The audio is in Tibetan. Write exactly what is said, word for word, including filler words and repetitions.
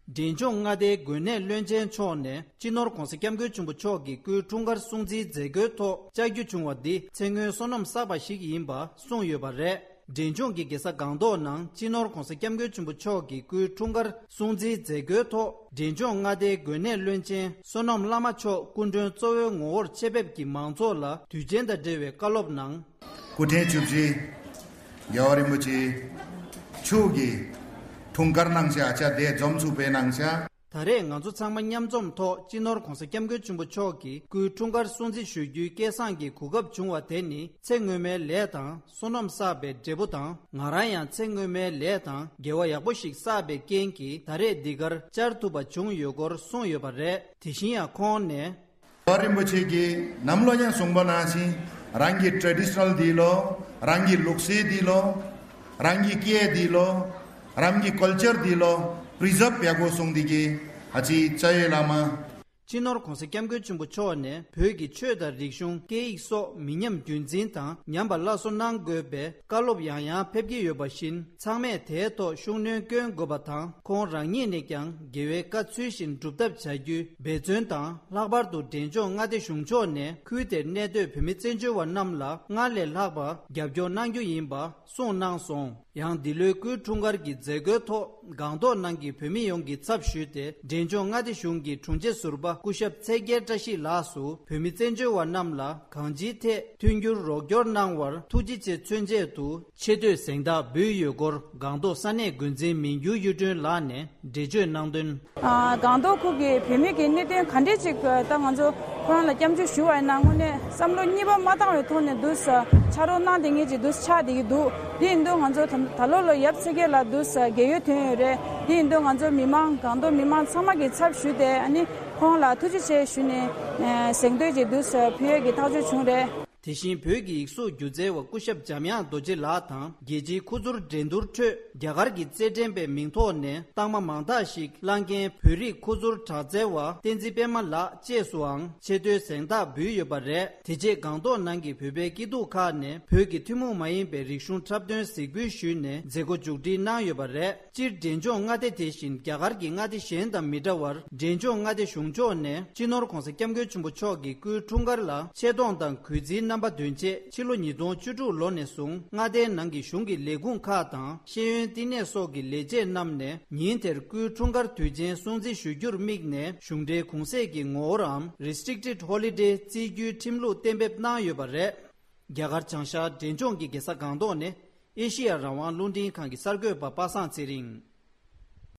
འབྲས་ལྗོངས་མངའ་སྡེའི་དགོན་གནས་བློན་ཆེན་མཆོག་ནས་སྤྱི་ནོར་༧གོང་ས་༧སྐྱབས་མགོན་ཆེན་པོ་མཆོག་གི་སྐུའི་འཁྲུངས་སྐར་སྲུང་བརྩིའི་མཛད་སྒོའི་ཐོག་བཅར་རྒྱུ་བྱུང་བ་འདི་ཚེ་སྔོན་བསོད་ནམས་བསགས་པ་ཞིག་ཡིན་པ་གསུངས་ཡོད་པ་རེད། འབྲས་ལྗོངས་ཀྱི་རྒྱལ་ས་སྒང་ཏོག་ནང་སྤྱི་ནོར་༧གོང་ས་༧སྐྱབས་མགོན་ཆེན་པོ་མཆོག་གི་སྐུའི་འཁྲུངས་སྐར་སྲུང་བརྩིའི་མཛད་སྒོའི་ཐོག་འབྲས་ལྗོངས་མངའ་སྡེའི་དགོན་གནས་བློན་ཆེན་བསོད་ནམས་བླ་མ་མཆོག་སྐུ་མགྲོན་གཙོ་བོའི་ངོ་བོར་ཆེད་ཕེབས་ཀྱིས་མང་ཚོགས་ལ་དུས་ཆེན་དང་འབྲེལ་བའི་བཀའ་སློབ་གནང་། སྐུ་ཕྲེང་བཅུ་བཞི་རྒྱལ་བ་རིན་པོ་ཆེ་མཆོག་གི་འཁྲུངས་སྐར་གནང་ཤག་ཨ་ཅག་དེ་འཛོམས་ཚུགས་པའི་གནང་ཤག་ད་རེས་ང་ཚོ་ཚང་མ་མཉམ་འཛོམས་ཐོག་སྤྱི་ནོར་༧གོང་ས་༧སྐྱབས་མགོན་ཆེན་པོ་མཆོག་གི་སྐུའི་འཁྲུངས་སྐར་སྲུང་བརྩི་ཞུ་རྒྱུའི་སྐལ་བཟང་གི་གོ་སྐབས་བྱུང་བ་དེ་ནི་ཚེ་སྔོན་མའི་ལས་དང་བསོད་ནམས་བསགས་པའི་འབྲས་བུ་དང་། ང་རང་ཡང་ཚེ་སྔོན་མའི་ལས་དང་དགེ་བ་ཡག་པོ་ཞིག་བསགས་པའི་རྐྱེན་གྱིས་ད་རེས་འདི་གར་བཅར་ཐུབ་པ་བྱུང་ཡོད་སྐོར་གསུངས་ཡོད་པ་རེད། དེ་བཞིན་ཡང་ཁོང་ནས། རྒྱལ་བ་རིན་པོ་ཆེ་གིས་ནམ་ལོ་ཡང་གསུངས་པ་ནང་བཞིན་རང་གི་ཊེ་རེ་ཌི་ཤི་ནལ་འདི་ལོ། རང་གི་ལུགས་སྲོལ་འདི་ལོ། རང་གི་སྐད་འདི་ལོ། རང་གི་ཀལ་ཅར་འདི་ལོ་པི་རི་ཛརབ་ཡག་པོ་བཟུང་འདི་གི་ཨ་ཅེ་ཅ་ཡེ་བླ་མ། སྤྱི་ནོར་༧གོང་ས་༧སྐྱབས་མགོན་ཆེན་པོ་མཆོག་ནས་བོད་ཀྱི་ཆོས་དང་རིག་གཞུང་སྐད་ཡིག་སོགས་མི་ཉམས་རྒྱུན་འཛིན་དང་ཉམས་པ་སླར་གསོ་གནང་དགོས་པའི་བཀའ་སློབ་ཡང་ཡང་ཕེབས་ཀྱི་ཡོད་པ་བཞིན་ཚང་མས་དེའི་ཐོག་ཤུགས་སྣོན་སྐྱོན་དགོས་པ་དང་། ཁོང་རང་ཉིད་ནས་ཀྱང་དགེ་བའི་བཀའ་ཚུལ་བཞིན་སྒྲུབ་ཐབས་བྱ་རྒྱུའི་འབད་བརྩོན་དང་། ལྷག་པར་དུ་འབྲས་ལྗོངས་མངའ་སྡེ་གཞུང་ཕྱོགས་ནས་ཁུལ་དེར་གནས་སྡོད་བོད་མི་བཙན་བྱོལ་བ་རྣམས་ལ་སྔར་ལས་ལྷག་པ་རྒྱབ་སྐྱོར་གནང་རྒྱུ་ཡིན་པ་གསུངས་གནང་སོང་། ཡང་འདི་ལོའི་སྐུའི་འཁྲུངས་སྐར་གྱི་མཛད་སྒོའི་ཐོག་སྒང་ཏོག་ནང་གི་བོད་མི་ཡོངས་ཀྱི་ཚབ་ཞུས་ཏེ་འབྲས་ལྗོངས་མངའ་སྡེ་གཞུང་གི་དྲུང་ཆེ་ཟུར་པ་སྐུ་ཞབས་ཚེ་རྒྱལ་བཀྲ་ཤིས་ལགས་སུ་བོད་མི་བཙན་བྱོལ་བ་རྣམས་ལ་གང་ཅིའི་ཐད་མཐུན་འགྱུར་རོགས་སྐྱོར་གནང་བར་ཐུགས་རྗེ་ཆེ་མཚོན་ཆེད་དུ་ཆེ་བསྟོད་གཟེངས་རྟགས་འབུལ་ཡོད་སྐོར་སྒང་ཏོག་ས་གནས་འགོ་འཛིན་མིང་འགྱུར་གཡུ་སྒྲོན་ལགས་ནས་འགྲེལ་བརྗོད་གནང་དོན། ཨ། སྒང་ཏོག་ཁུལ་གྱི་བོད་མི་གི་གནད་དོན་ག་འདྲས་ཅིག་ད་ང་ཚོ་ཁོ་རང་ལ་སྐྱབས་འཇུག་ཞུ་བ་ཡིན་ན་དངོས་གནས་བསམ་བློ་གཉིས་པ་མ་བཏང་བའི་ཐོག་ནས་འདུག་ས་ཕྱག་རོགས་གནང་བསྡད་མཁན་ཅིག་འདུག་ཆགས་བསྡད་ཀྱི་འདུག་དེ་ཡིན་དུས་ང་ཚོ་ད་ད་ལོ་ལོ་ཡབ་ཚེ་རྒྱལ་ལགས་འདུག་ས་རྒས་ཡོལ་ཐོན་ཡོད་རེད། དེ་ཡིན་དུས་ང་ཚོ་མི་མང་སྒང་ཏོག་མི་མང་ཚང་མ་གི་ཚབ་ཞུས་ཏེ་ཨ་ནི་ཁོང་ལ་ཐུགས་རྗེ་ཆེ་ཞུས་ནས་ཨ་གཟེངས་བསྟོད་ཅིག་འདུག་ས་ཕུལ་ཡས་ཀྱི་ཐག་གཅོད་བྱུང་རེད། དེ་བཞིན་བོད་ཀྱི་ཡིག་གཟུགས་སྒྱུ་རྩལ་བ་སྐུ་ཞབས་འཇམ་དབྱངས་རྡོ་རྗེ་ལགས་དང་རྒྱལ་སྤྱིའི་ཁུ་ཚུར་འགྲན་བསྡུར་ཁྲོད་རྒྱ་གར་གྱི་རྩེད་འགྲན་པའི་མིང་ཐོག་ནས་རྟགས་མ་མང་དག་ཞིག་བླངས་མཁན་བོད་རིགས་ཁུ་ཚུར་དྲག་རྩལ་བ་བསྟན་འཛིན་པད་མ་ལགས་བཅས་སུའང་ཆེ་བསྟོད་གཟེངས་རྟགས་འབུལ་ཡོད་པ་རེད། དེ་རྗེས་སྒང་ཏོག་ནང་གི་བོད་པའི་སྐྱིད་སྡུག་ཁག་ནས་བོད་ཀྱི་ཐུན་མོང་མ་ཡིན་པའི་རིག་གཞུང་འཁྲབ་སྟོན་གཟིགས་འབུལ་ཞུས་ནས་མཛད་སྒོ་མཇུག་སྒྲིལ་གནང་ཡོད་པ་རེད། སྤྱིར་འབྲས་ལྗོངས་མངའ་སྡེ་དེ་བཞིན་རྒྱ་གར་གྱི་མངའ་སྡེ་གཞན་དང་མི་འདྲ་བར་འབྲས་ལྗོངས་མངའ་སྡེ་གཞུང་ཕྱོགས་ནས་སྤྱི་ནོར་༧གོང་ས་༧སྐྱབས་མགོན་ཆེན་པོ་མཆོག་གི་སྐུའི་འཁྲུངས་སྐར་ལ་ཆེ་མཐོང་དང་གུས་བརྩིའི་རྣམ་པ་འདོན་ཆེད་ཕྱི་ལོ་ཉིས་སྟོང་བཅུ་དྲུག་ལོ་ནས་བཟུང་མངའ་སྡེའི་ནང་གི་གཞུང་གི་ལས་ཁུངས་ཁག་དང་ཤེས་ཡོན་བསྟི་གནས་སོགས་ཀྱི་ལས་བྱེད་རྣམས་ནས་ཉིན་དེར་སྐུའི་འཁྲུངས་སྐར་དུས་ཆེན་སྲུང་བརྩི་ཞུ་རྒྱུར་དམིགས་ནས་གཞུང་འབྲེལ་གུང་གསེང་གི་ངོ་བོའམ་Restricted Holiday རྩིས་རྒྱུའི་ཁྲིམས་ལུགས་གཏན་འབེབས་གནང་ཡོད་པ་རེད། རྒྱ་གར་བྱང་ཤར་འབྲས་ལྗོངས་ཀྱི་རྒྱལ་ས་སྒང་ཏོག་ནས་ཨེ་ཤེ་ཡ་རང་དབང་རླུང་འཕྲིན་ཁང་གི་གསར་འགོད་པ་པ་སངས་ཚེ་རིང་།